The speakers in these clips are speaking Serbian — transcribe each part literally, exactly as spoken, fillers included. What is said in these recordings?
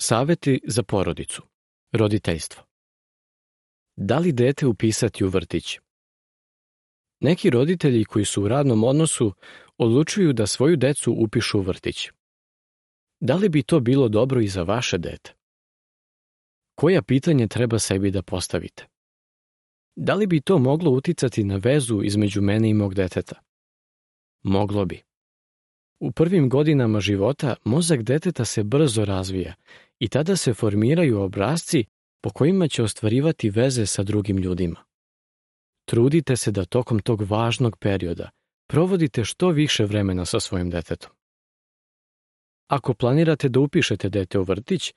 Saveti za porodicu. Roditeljstvo. Da li dete upisati u vrtić? Neki roditelji koji su u radnom odnosu odlučuju da svoju decu upišu u vrtić. Da li bi to bilo dobro i za vaše dete? Koja pitanje treba sebi da postavite? Da li bi to moglo uticati na vezu između mene i mog deteta? Moglo bi. U prvim godinama života mozak deteta se brzo razvija i tada se formiraju obrasci po kojima će ostvarivati veze sa drugim ljudima. Trudite se da tokom tog važnog perioda provodite što više vremena sa svojim detetom. Ako planirate da upišete dete u vrtić,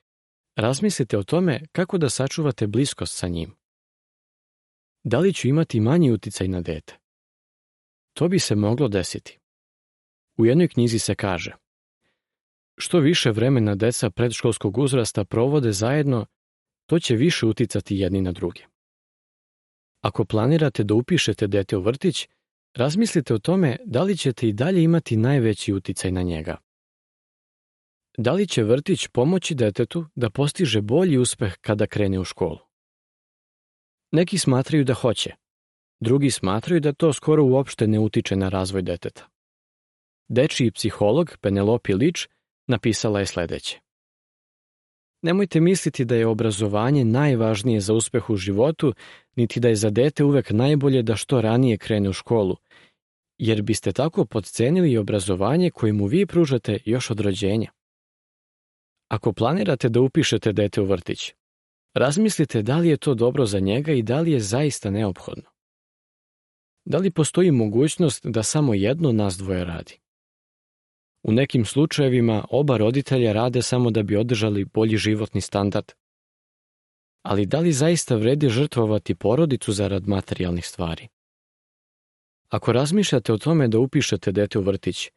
razmislite o tome kako da sačuvate bliskost sa njim. Da li ću imati manji uticaj na dete? To bi se moglo desiti. U jednoj knjizi se kaže: što više vremena deca predškolskog uzrasta provode zajedno, to će više uticati jedni na druge. Ako planirate da upišete dete u vrtić, razmislite o tome da li ćete i dalje imati najveći uticaj na njega. Da li će vrtić pomoći detetu da postiže bolji uspeh kada krene u školu? Neki smatraju da hoće, drugi smatraju da to skoro uopšte ne utiče na razvoj deteta. Dečiji psiholog Penelope Lič napisala je sledeće: nemojte misliti da je obrazovanje najvažnije za uspeh u životu, niti da je za dete uvek najbolje da što ranije krene u školu, jer biste tako potcenili i obrazovanje koje mu vi pružate još od rođenja. Ako planirate da upišete dete u vrtić, razmislite da li je to dobro za njega i da li je zaista neophodno. Da li postoji mogućnost da samo jedno nas dvoje radi? U nekim slučajevima oba roditelja rade samo da bi održali bolji životni standard. Ali da li zaista vredi žrtvovati porodicu zarad materijalnih stvari? Ako razmišljate o tome da upišete dete u vrtić,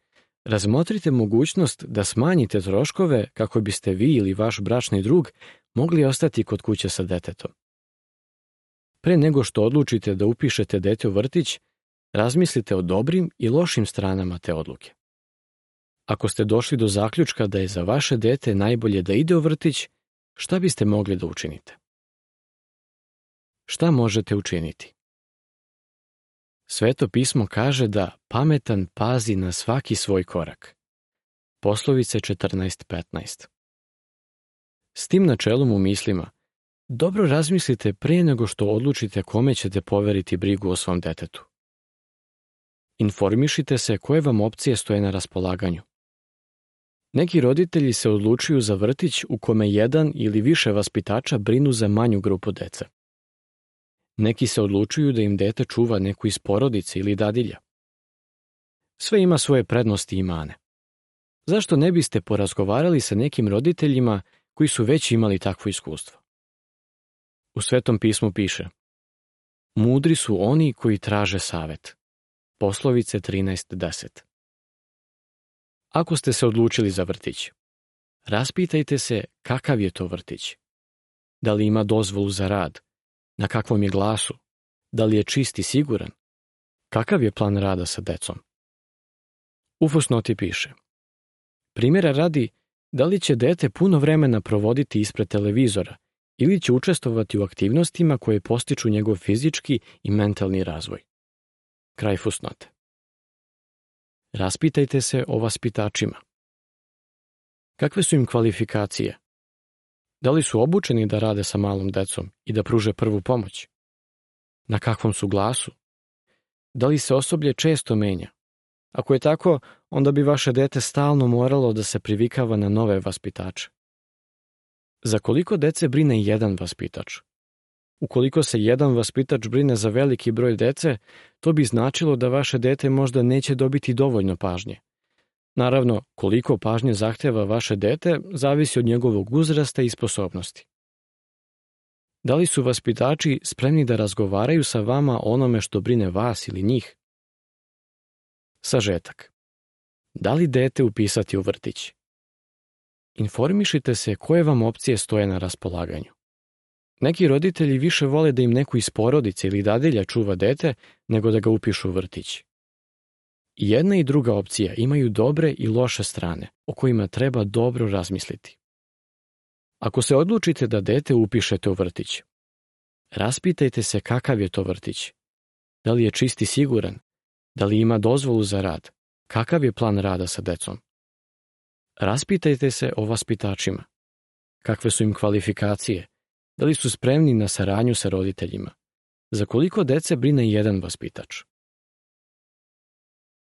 razmotrite mogućnost da smanjite troškove kako biste vi ili vaš bračni drug mogli ostati kod kuće sa detetom. Pre nego što odlučite da upišete dete u vrtić, razmislite o dobrim i lošim stranama te odluke. Ako ste došli do zaključka da je za vaše dete najbolje da ide u vrtić, šta biste mogli da učinite? Šta možete učiniti? Sveto pismo kaže da pametan pazi na svaki svoj korak. Poslovice četrnaest petnaest. S tim načelom u mislima, dobro razmislite pre nego što odlučite kome ćete poveriti brigu o svom detetu. Informišite se koje vam opcije stoje na raspolaganju. Neki roditelji se odlučuju za vrtić u kome jedan ili više vaspitača brinu za manju grupu dece. Neki se odlučuju da im dete čuva neku iz porodice ili dadilja. Sve ima svoje prednosti i mane. Zašto ne biste porazgovarali sa nekim roditeljima koji su već imali takvo iskustvo? U Svetom pismu piše: mudri su oni koji traže savet. Poslovice trinaest deset. Ako ste se odlučili za vrtić, raspitajte se kakav je to vrtić. Da li ima dozvolu za rad? Na kakvom je glasu? Da li je čist i siguran? Kakav je plan rada sa decom? U fusnoti piše: primjera radi, da li će dete puno vremena provoditi ispred televizora ili će učestvovati u aktivnostima koje postiču njegov fizički i mentalni razvoj. Kraj fusnote. Raspitajte se o vaspitačima. Kakve su im kvalifikacije? Da li su obučeni da rade sa malom decom i da pruže prvu pomoć? Na kakvom su glasu? Da li se osoblje često menja? Ako je tako, onda bi vaše dete stalno moralo da se privikava na nove vaspitače. Za koliko dece brine jedan vaspitač? Ukoliko se jedan vaspitač brine za veliki broj dece, to bi značilo da vaše dete možda neće dobiti dovoljno pažnje. Naravno, koliko pažnje zahteva vaše dete, zavisi od njegovog uzrasta i sposobnosti. Da li su vaspitači spremni da razgovaraju sa vama o onome što brine vas ili njih? Sažetak. Da li dete upisati u vrtić? Informišite se koje vam opcije stoje na raspolaganju. Neki roditelji više vole da im neko iz porodice ili dadilja čuva dete nego da ga upišu u vrtić. I jedna i druga opcija imaju dobre i loše strane o kojima treba dobro razmisliti. Ako se odlučite da dete upišete u vrtić, raspitajte se kakav je to vrtić. Da li je čist i siguran? Da li ima dozvolu za rad? Kakav je plan rada sa decom? Raspitajte se o vaspitačima. Kakve su im kvalifikacije? Da li su spremni na saradnju sa roditeljima? Za koliko dece brine jedan vaspitač?